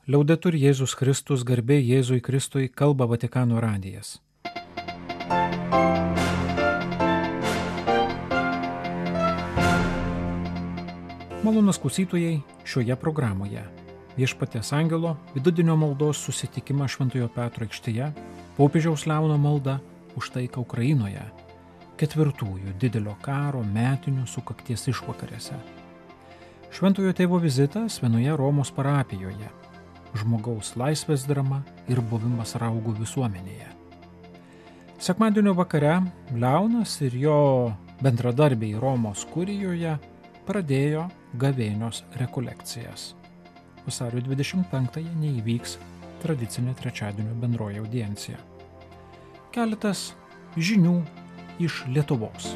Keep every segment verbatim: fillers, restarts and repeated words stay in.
Liaudetur Jėzus Kristus, garbė Jėzui Kristui, kalba Vatikano radijas. Malonūs klausytojai, šioje programoje Viešpaties angelo vidudienio maldos susitikimą Šventojo Petro aikštėje, popiežiaus Leono malda už taiką Ukrainoje, ketvirtųjų didelio karo metinių sukakties išvakarėse. Šventojo tėvo vizitas vienoje Romos parapijoje, žmogaus laisvės drama ir buvimas raugų visuomenėje. Sekmadienio vakare Leonas ir jo bendradarbiai Romos kurijoje pradėjo gavėnios rekolekcijas. Vasario dvidešimt penktąją neįvyks tradicinė trečiadienio bendroji audiencija. Keletas žinių iš Lietuvos.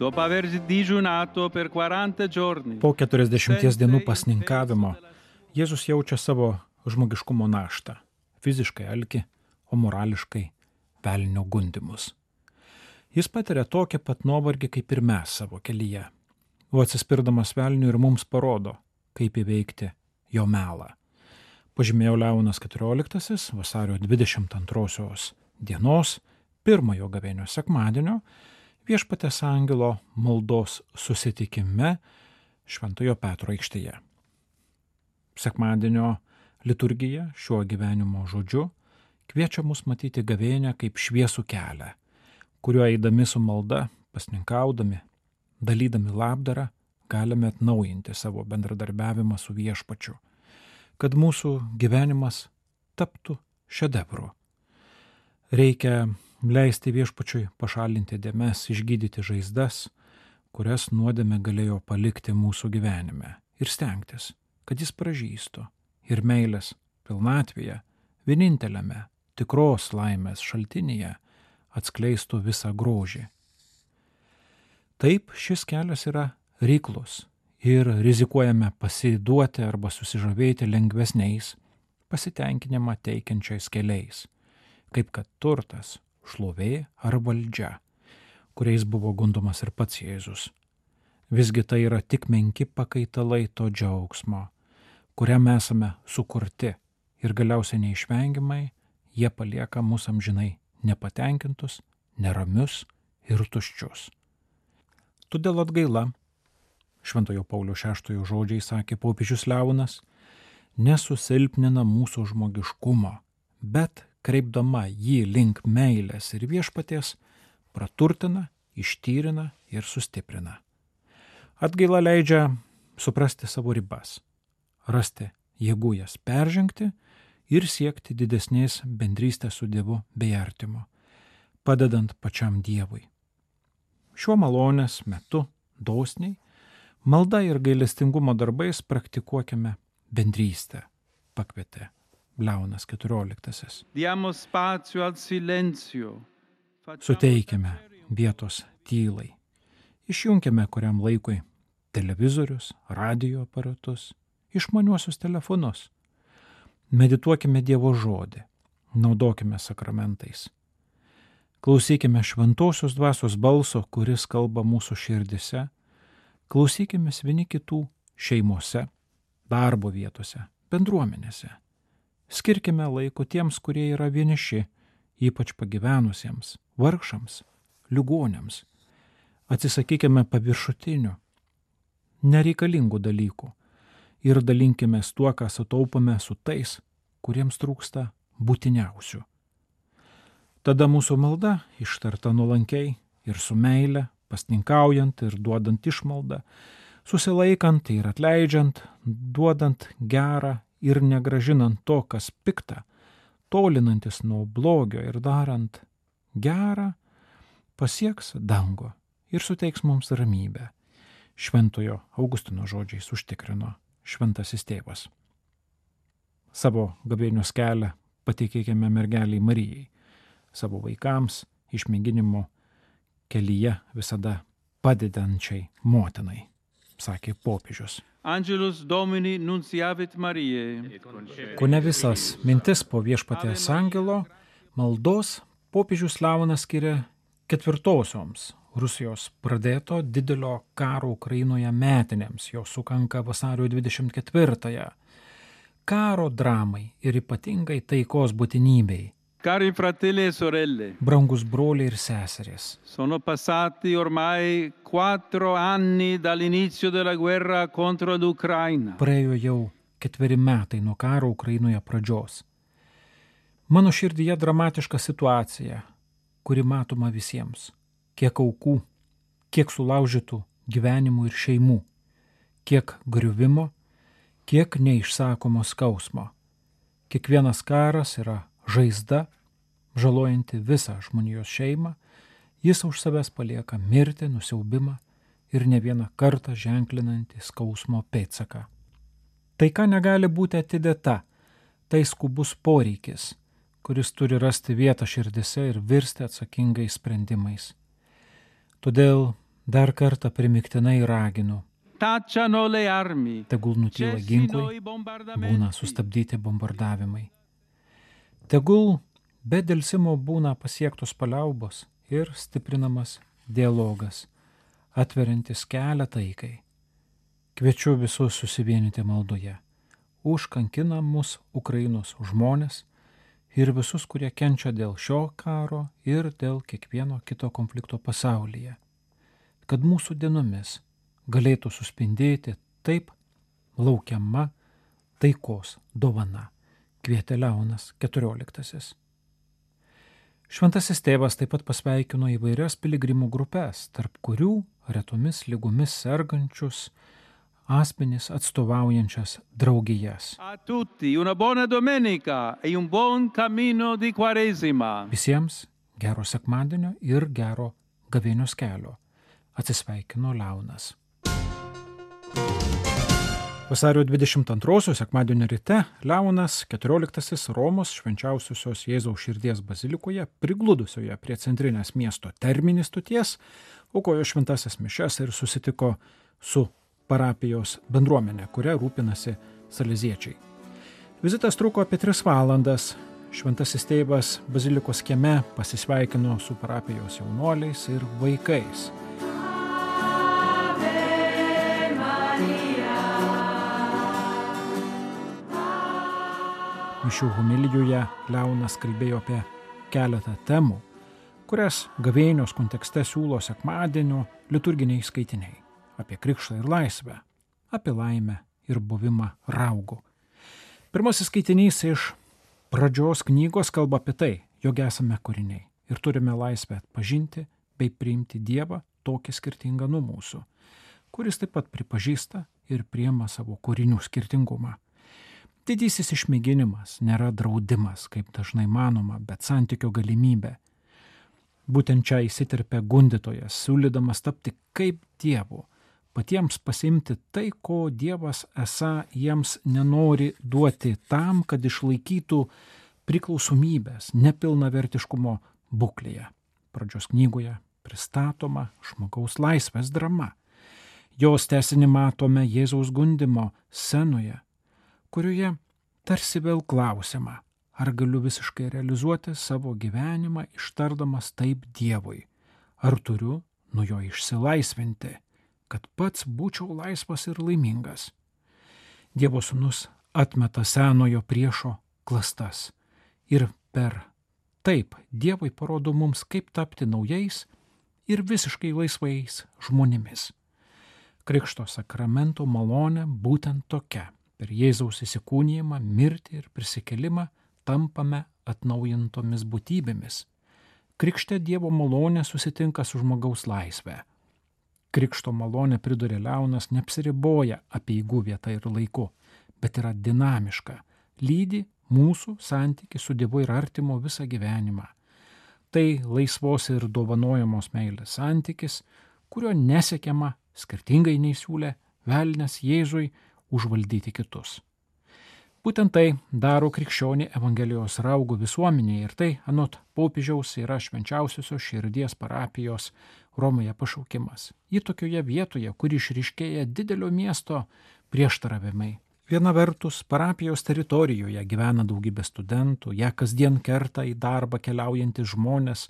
Dopo aver digiunato per quaranta giorni. Po keturiasdešimties dienų pasninkavimo Jėzus jaučia savo žmogiškumo naštą, fiziškai alkį, o morališkai velnio gundymus. Jis patiria tokią pat nuovargį kaip ir mes savo kelyje, o atsispirdamas velniui ir mums parodo, kaip įveikti jo melą. Pažymėjo Leonas keturioliktasis vasario dvidešimt antrosios dienos, pirmojo gavėnio sekmadienio, Viešpaties angelo maldos susitikime Šventojo Petro aikštėje. Sekmadienio liturgija šiuo gyvenimo žodžiu kviečia mus matyti gavėnią kaip šviesų kelią, kuriuo eidami su malda, pasninkaudami, dalydami labdarą, galime atnaujinti savo bendradarbiavimą su Viešpačiu, kad mūsų gyvenimas taptų šedevru. Reikia leisti Viešpačiui pašalinti dėmes, išgydyti žaizdas, kurias nuodėmė galėjo palikti mūsų gyvenime, ir stengtis, kad jis pražystų ir meilės pilnatvėje, vieninteliame tikros laimės šaltinyje atskleistų visą grožį. Taip, šis kelias yra reiklus ir rizikuojame pasiduoti arba susižavėti lengvesniais, pasitenkinimą teikiančiais keliais, kaip kad turtas, šlovė ar valdžia, kuriais buvo gundomas ir pats Jėzus. Visgi tai yra tik menki pakaitalai to džiaugsmo, kuriam esame sukurti ir galiausiai neišvengiamai jie palieka mus amžinai nepatenkintus, neramius ir tuščius. Todėl atgaila, Šventojo Pauliaus šeštojo žodžiai sakė popiežius Leonas, nesusilpnina mūsų žmogiškumo, bet kreipdama jį link meilės ir Viešpaties, praturtina, ištyrina ir sustiprina. Atgaila leidžia suprasti savo ribas, rasti jėgų jas peržengti ir siekti didesnės bendrystės su Dievu bei artimu, padedant pačiam Dievui. Šiuo malonės metu dosniai, malda ir gailestingumo darbais praktikuokime bendrystę, pakvietė Leonas keturioliktasis. Diamo spazio al silenzio. Suteikime vietos tylai. Išjunkime kuriam laikui televizorius, radio aparatus, išmaniuosius telefonus. Medituokime Dievo žodį, naudokime sakramentais. Klausykime šventosios dvasios balso, kuris kalba mūsų širdise. Klausykime vieni kitų šeimose, darbo vietose, bendruomenėse. Skirkime laiko tiems, kurie yra vieniši, ypač pagyvenusiems, vargšams, ligonėms. Atsisakykime paviršutinių, nereikalingų dalykų ir dalinkimės tuo, ką sutaupome su tais, kuriems trūksta būtiniausių. Tada mūsų malda, ištarta nuolankiai ir su meile, pasninkaujant ir duodant išmaldą, susilaikant ir atleidžiant, duodant gerą ir negražinant to, kas pikta, tolinantis nuo blogio ir darant gerą, pasieks dangų ir suteiks mums ramybę. Šventojo Augustino žodžiais užtikrino šventasis tėvas. Savo gavėnios kelią pateikėkime mergeliai Marijai, savo vaikams išmėginimo kelyje visada padedančiai motinai, sakė popiežius. Angelus Domini nunciavit Mariae. Kone visas mintis po Viešpaties angelo maldos popiežius Leonas skiria Ketvirtosioms Rusijos pradėto didelio karo Ukrainoje metinėms, jo sukanka vasario dvidešimt ketvirtąją. Karo dramai ir ypatingai taikos būtinybei. Cari fratelli e sorelle, Brangus broliai ir seserys, sono passati ormai quattro anni dall'inizio della guerra contro l'Ucraina. praėjo jau ketveri metai nuo karo Ukrainoje pradžios. Mano širdyje dramatiška situacija, kuri matoma visiems. Kiek aukų, kiek sulaužytų gyvenimų ir šeimų, kiek griuvimo, kiek neišsakomo skausmo. Kiekvienas karas yra žaizda, žalojanti visą žmonijos šeimą, jis už savęs palieka mirtį, nusiaubimą ir ne vieną kartą ženklinantį skausmo pėdsaką. Taika negali būti atidėta, tai skubus poreikis, kuris turi rasti vietą širdise ir virsti atsakingais sprendimais. Todėl dar kartą primiktinai raginu, Tacciano le armi, tegul nutyla cessino ginklai, i būna bombardamenti. sustabdyti bombardavimai. Tegul be delsimo būna pasiektos paliaubos ir stiprinamas dialogas, atveriantis kelią taikai. Kviečiu visus susivienyti maldoje už kankinamus Ukrainos žmones ir visus, kurie kenčia dėl šio karo ir dėl kiekvieno kito konflikto pasaulyje, kad mūsų dienomis galėtų suspindėti taip laukiama taikos dovana, kvietė Leonas keturioliktasis. Šventasis tėvas taip pat pasveikino įvairias piligrimų grupes, tarp kurių retomis lygomis sergančius asmenys atstovaujančias draugijas. A tutti una buona domenica e un buon cammino di Quaresima. Visiems gero sekmadienio ir gero gavėnios kelio. Atsisveikino Leonas. Vasario dvidešimt antrosios sekmadienio ryte Leonas keturioliktasis Romos švenčiausiosios Jėzaus širdies bazilikoje, prigludusioje prie centrinės miesto Termini stoties, aukojo šventasias mišias ir susitiko su parapijos bendruomenė, kuria rūpinasi saleziečiai. Vizitas truko apie tris valandas. Šventasis tėvas bazilikos kieme pasisveikino su parapijos jaunuoliais ir vaikais. Mišių homilijoje Leonas kalbėjo apie keletą temų, kurias gavėnios kontekste siūlo sekmadienio liturginiai skaitiniai. Apie krikštą ir laisvę, apie laimę ir buvimą raugu. Pirmasis skaitinys iš pradžios knygos kalba apie tai, jog esame kūriniai ir turime laisvę atpažinti bei priimti Dievą tokį skirtingą nuo mūsų, kuris taip pat pripažįsta ir priima savo kūrinių skirtingumą. Didysis išmėginimas nėra draudimas, kaip dažnai manoma, bet santykio galimybė. Būtent čia įsiterpia gundytojas, siūlydamas tapti kaip Dievu, patiems pasiimti tai, ko Dievas esą jiems nenori duoti tam, kad išlaikytų priklausomybės, nepilnavertiškumo būklėje. Pradžios knygoje pristatoma žmogaus laisvės drama. Jos tęsinį matome Jėzaus gundymo scenoje, kurioje tarsi vėl klausiama, ar galiu visiškai realizuoti savo gyvenimą ištardamas taip Dievui, ar turiu nuo jo išsilaisvinti, kad pats būčiau laisvas ir laimingas. Dievo sūnus atmeta senojo priešo klastas ir per taip Dievui parodo mums, kaip tapti naujais ir visiškai laisvais žmonėmis. Krikšto sakramento malonė būtent tokia. Per Jėzaus įsikūnijimą, mirtį ir prisikelimą tampame atnaujintomis būtybėmis. Krikšte Dievo malonė susitinka su žmogaus laisvė. Krikšto malonė, pridurė Leonas, neapsiriboja apeigų vieta ir laiku, bet yra dinamiška, lydi mūsų santykį su Dievu ir artimo visą gyvenimą. Tai laisvos ir dovanojamos meilės santykis, kurio nesiekiama, skirtingai nei siūlė velnias Jėzui, užvaldyti kitus. Būtent tai daro krikščionį Evangelijos raugo visuomenėje ir tai, anot popiežiaus, yra švenčiausiosios širdies parapijos Romoje pašaukimas. Į tokioje vietoje, kur išryškėja didelio miesto prieštaravimai, Viena vertus, parapijos teritorijoje gyvena daugybė studentų, ją kasdien kerta į darbą keliaujantys žmonės,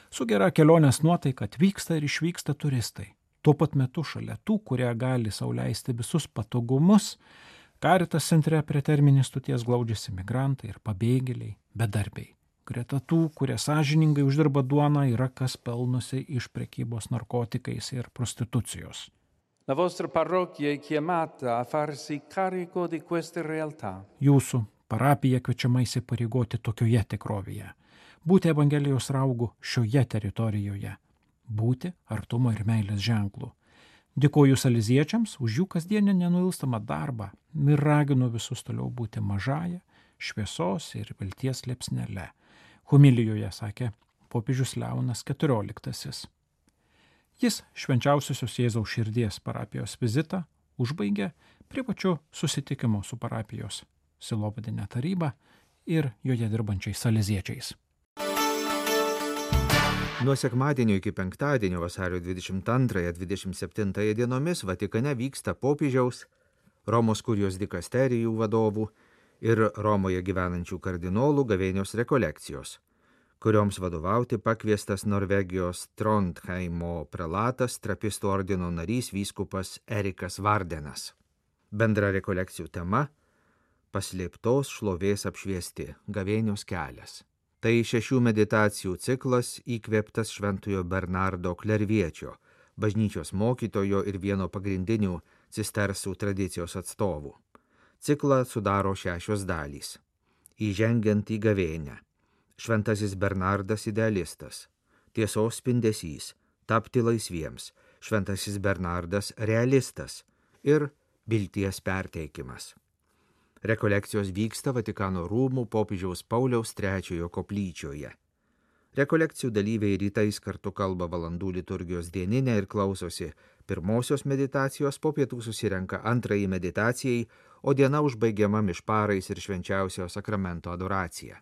su gera kelionės nuotaika atvyksta ir išvyksta turistai. Tuo pat metu šalia tų, kurie gali sau leisti visus patogumus, Caritas centre prie terminės stoties glaudžiasi migrantai ir pabėgėliai, bedarbiai. Greta tų, kurie sąžiningai uždirba duoną, yra kas pelnosi iš prekybos narkotikais ir prostitucijos. La vostra parrocchia è chiamata a farsi carico di queste realtà. Jūsų parapija kviečiama įsipareigoti tokioje tikrovėje, būti Evangelijos raugų šioje teritorijoje, būti artumo ir meilės ženklų. Dėkoju saleziečiams už jų kasdienę nenuilstamą darbą ir raginu visus toliau būti mažąja, šviesos ir vilties liepsnele. Homilijoje sakė popiežius Leonas keturioliktasis. Jis švenčiausiosios Jėzaus širdies parapijos vizitą užbaigė privačiu susitikimu su parapijos sielovadine taryba ir joje dirbančiais saleziečiais. Nuo sekmadienio iki penktadienio vasario dvidešimt antrąją dvidešimt septintąją dienomis Vatikane vyksta popiežiaus, Romos kurijos dikasterijų vadovų ir Romoje gyvenančių kardinolų gavėnios rekolekcijos, kurioms vadovauti pakviestas Norvegijos Trondheimo prelatas, trapistų ordino narys vyskupas Erikas Vardenas. Bendra rekolekcijų tema – paslėptos šlovės apšviesti gavėnios kelias. Tai šešių meditacijų ciklas įkvėptas Šventojo Bernardo Klerviečio, bažnyčios mokytojo ir vieno pagrindinių cistersų tradicijos atstovų. Ciklą sudaro šešios dalys. Įžengiant į gavėnią. Šventasis Bernardas idealistas. Tiesos spindesys. Tapti laisviems. Šventasis Bernardas realistas. Ir vilties perteikimas. Rekolekcijos vyksta Vatikano rūmų popiežiaus Pauliaus trečiojo koplyčioje. Rekolekcijų dalyviai rytais kartu kalba valandų liturgijos dieninę ir klausosi pirmosios meditacijos, po pietų susirenka antrąjį meditacijai, o diena užbaigiama mišparais ir švenčiausio sakramento adoracija.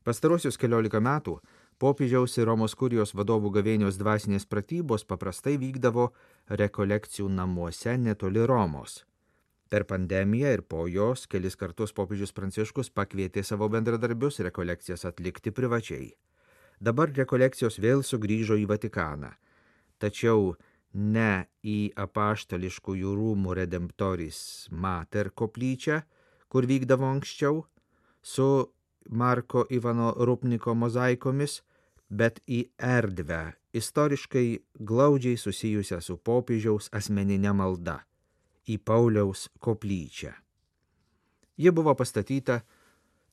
Pastarosius keliolika metų popiežiaus ir Romos kurijos vadovų gavėnios dvasinės pratybos paprastai vykdavo rekolekcijų namuose netoli Romos. Per pandemiją ir po jos kelis kartus popiežius Pranciškus pakvietė savo bendradarbius rekolekcijas atlikti privačiai. Dabar rekolekcijos vėl sugrįžo į Vatikaną, tačiau ne į apaštališkųjų rūmų Redemptoris Mater koplyčią, kur vykdavo anksčiau, su Marko Ivano Rupniko mozaikomis, bet į erdvę, istoriškai glaudžiai susijusią su popiežiaus asmeninė malda, į Pauliaus koplyčią. Ji buvo pastatyta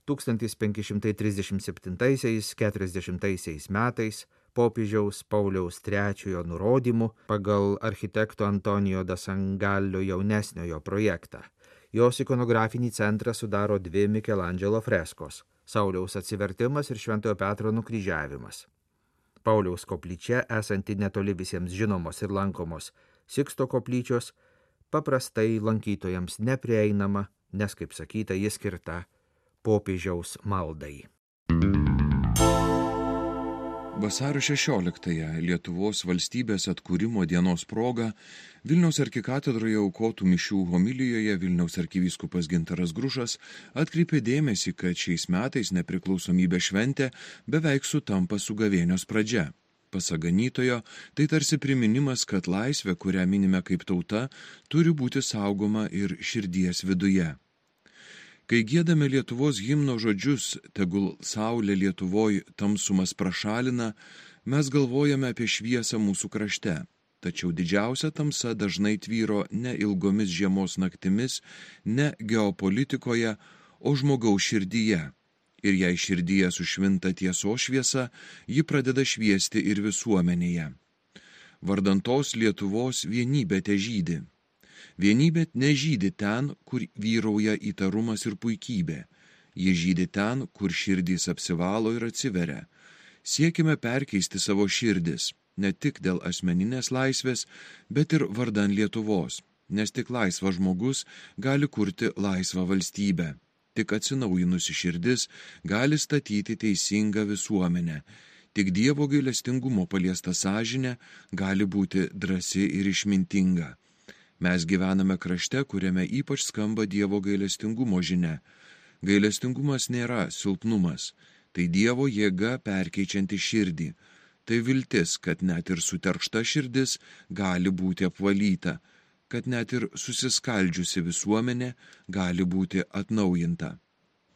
tūkstantis penki šimtai trisdešimt septintaisiais - keturiasdešimtaisiais metais popiežiaus Pauliaus trečiojo nurodymu pagal architekto Antonijo da Sangallo jaunesniojo projektą. Jos ikonografinį centrą sudaro dvi Mikelandželo freskos – Sauliaus atsivertimas ir Šventojo Petro nukryžiavimas. Pauliaus koplyčia, esanti netoli visiems žinomos ir lankomos Siksto koplyčios, paprastai lankytojams neprieinama, nes, kaip sakyta, ji skirta popiežiaus maldai. Vasario šešioliktąją Lietuvos valstybės atkūrimo dienos proga Vilniaus arkikatedroje aukotų mišių homilijoje Vilniaus arkivyskupas Gintaras Grušas atkreipė dėmesį, kad šiais metais nepriklausomybės šventė beveik sutampa su gavėnios pradžia. Pasak ganytojo, tai tarsi priminimas, kad laisvė, kurią minime kaip tauta, turi būti saugoma ir širdies viduje. Kai giedame Lietuvos himno žodžius, tegul saulė Lietuvoj tamsumas prašalina, mes galvojame apie šviesą mūsų krašte. Tačiau didžiausia tamsa dažnai tvyro ne ilgomis žiemos naktimis, ne geopolitikoje, o žmogaus širdyje. Ir jei širdyje sušvinta tiesos šviesa, ji pradeda šviesti ir visuomenėje. Vardantos Lietuvos vienybė težydi. Vienybė nežydi ten, kur vyrauja įtarumas ir puikybė. Ji žydi ten, kur širdys apsivalo ir atsiveria. Siekime perkeisti savo širdis, ne tik dėl asmeninės laisvės, bet ir vardan Lietuvos, nes tik laisvas žmogus gali kurti laisvą valstybę. Tik atsinaujinusi širdis gali statyti teisingą visuomenę. Tik Dievo gailestingumo paliesta sąžinė gali būti drąsi ir išmintinga. Mes gyvename krašte, kuriame ypač skamba Dievo gailestingumo žinia. Gailestingumas nėra silpnumas, tai Dievo jėga perkeičianti širdį. Tai viltis, kad net ir suterkšta širdis gali būti apvalyta, kad net ir susiskaldžiusi visuomenė gali būti atnaujinta.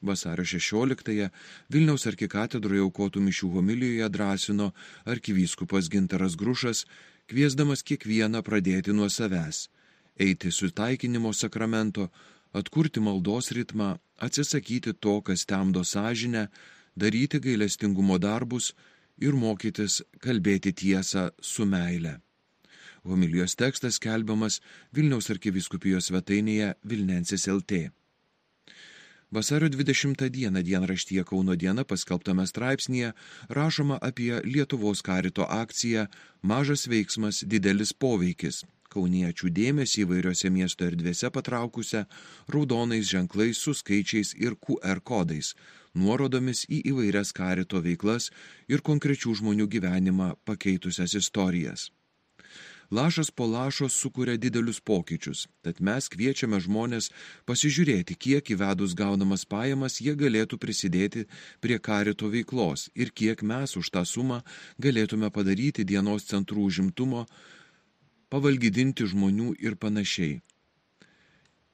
Vasario šešioliktąją Vilniaus arkikatedroje aukotų mišių homilijoje drąsino arkivyskupas Gintaras Grušas, kviesdamas kiekvieną pradėti nuo savęs, eiti sutaikinimo sakramento, atkurti maldos ritmą, atsisakyti to, kas temdo sąžinę, daryti gailestingumo darbus ir mokytis kalbėti tiesą su meile. Homilijos tekstas skelbiamas Vilniaus arkivyskupijos svetainėje Vilnensis L T. Vasario dvidešimtą dieną dienraštyje Kauno diena paskelbtame straipsnyje rašoma apie Lietuvos karito akciją Mažas veiksmas, didelis poveikis, kauniečių dėmesį įvairiose miesto erdvėse patraukusią raudonais ženklais su skaičiais ir Q R kodais, nuorodomis į įvairias karito veiklas ir konkrečių žmonių gyvenimą pakeitusias istorijas. Lašas po lašo sukuria didelius pokyčius, tad mes kviečiame žmonės pasižiūrėti, kiek įvedus gaunamas pajamas jie galėtų prisidėti prie karito veiklos ir kiek mes už tą sumą galėtume padaryti dienos centrų užimtumo, pavalgydinti žmonių ir panašiai.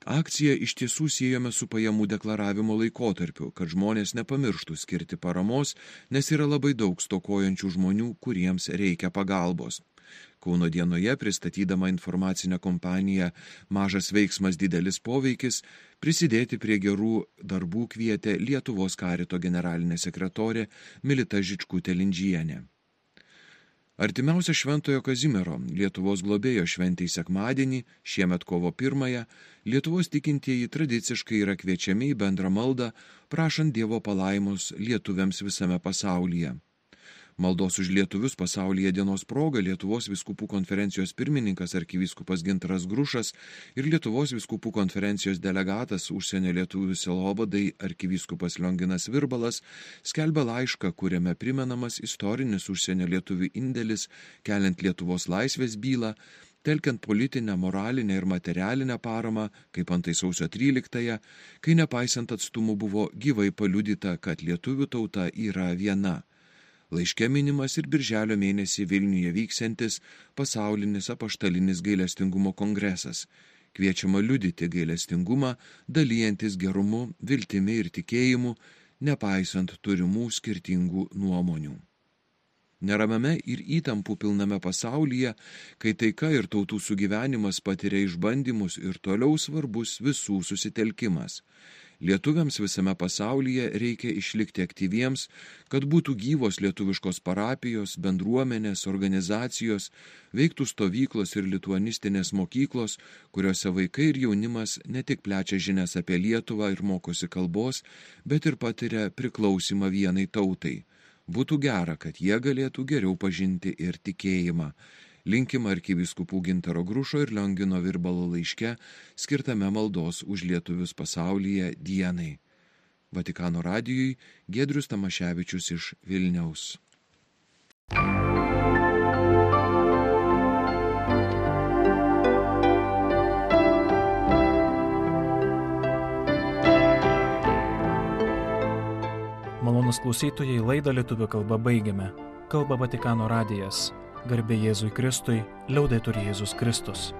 Akciją iš tiesų siejame su pajamų deklaravimo laikotarpiu, kad žmonės nepamirštų skirti paramos, nes yra labai daug stokojančių žmonių, kuriems reikia pagalbos. Kauno dienoje pristatydama informacinę kompaniją Mažas veiksmas, didelis poveikis, prisidėti prie gerų darbų kvietė Lietuvos karito generalinė sekretorė Milita Žičkutė-Lindžienė. Artimiausia Šventojo Kazimiero, Lietuvos globėjo šventei sekmadienį, šiemet kovo pirmąją, Lietuvos tikintieji tradiciškai yra kviečiami į bendrą maldą, prašant Dievo palaimos lietuviams visame pasaulyje. Maldos už lietuvius pasaulyje dienos proga Lietuvos vyskupų konferencijos pirmininkas arkivyskupas Gintaras Grušas ir Lietuvos vyskupų konferencijos delegatas užsienio lietuvių sielovadai arkivyskupas Lionginas Virbalas skelbia laišką, kuriame primenamas istorinis užsienio lietuvių indėlis, keliant Lietuvos laisvės bylą, telkiant politinę, moralinę ir materialinę paramą, kaip antai sausio tryliktąją, kai nepaisant atstumų buvo gyvai paliudyta, kad lietuvių tauta yra viena. Laiške minimas ir birželio mėnesį Vilniuje vyksiantis pasaulinis apaštalinis gailestingumo kongresas. Kviečiama liudyti gailestingumą, dalyjantis gerumu, viltimi ir tikėjimu, nepaisant turimų skirtingų nuomonių. Neramiame ir įtampų pilname pasaulyje, kai taika ir tautų sugyvenimas patiria išbandymus ir toliau svarbus visų susitelkimas. Lietuviams visame pasaulyje reikia išlikti aktyviems, kad būtų gyvos lietuviškos parapijos, bendruomenės, organizacijos, veiktų stovyklos ir lituanistinės mokyklos, kuriuose vaikai ir jaunimas ne tik plečia žinias apie Lietuvą ir mokosi kalbos, bet ir patiria priklausimą vienai tautai. Būtų gera, kad jie galėtų geriau pažinti ir tikėjimą. Linkima arkivyskupų Gintaro Grušo ir Liongino Virbalo laiške, skirtame maldos už lietuvius pasaulyje dienai. Vatikano radijui Giedrius Tamaševičius iš Vilniaus. Malonūs klausytojai, laidą lietuvių kalba baigiame. Kalba Vatikano radijas. Garbė Jėzui Kristui, liaudetur Jėzus Kristus.